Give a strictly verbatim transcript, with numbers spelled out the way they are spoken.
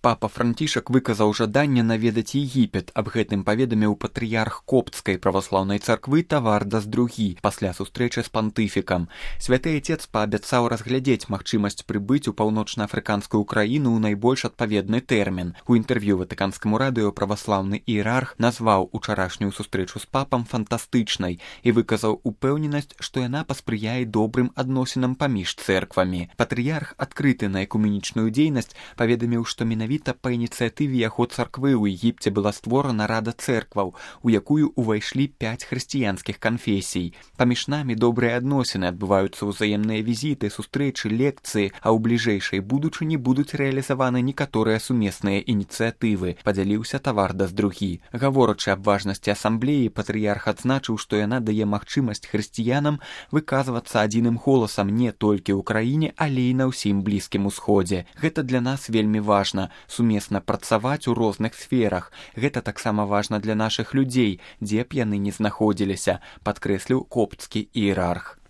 Папа Францішак выказаў жаданне наведаць Егіпет. Аб гэтым паведаміў патрыярх Коптскай праваслаўнай царквы Тавардас другі пасля сустрэчы з пантыфікам. Святы Отец паабяцаў разглядзець магчымасць прыбыць у паўночна-афрыканскую краіну ў найбольш адпаведны тэрмін. У інтэрв'ю ватыканскаму радыё праваслаўны іерарх назваў учарашнюю сустрэчу з папам фантастычнай і выказаў упэўненасць, што яна паспрыяе добрым адносінам паміж цэрквамі. Патрыярх, адкрыты на экуменічную дзейнасць, паведаміў, што менавіта па ініцыятыве яго царквы ў Егіпце была створана рада цэркваў, у якую ўвайшлі пяць хрысціянскіх канфесій. Паміж намі добрыя адносіны, адбываюцца ўзаемныя візіты, сустрэчы, лекцыі, а ў бліжэйшай будучыні будуць рэалізаваны некаторыя сумесныя ініцыятывы, падзяліўся Тавардас другі. Гаворачы аб важнасці асамблеі, патрыярх адзначыў, што яна дае магчымасць хрысціянам выказвацца адзіным голасам не толькі ў краіне, але і на ўсім Блізкім Усходзе. Гэта для нас вельмі важна. Сумесна працаваць у розных сферах. Гэта таксама важна для нашых людзей, дзе б яны не знаходзіліся, падкрэсліў копцкі іерарх.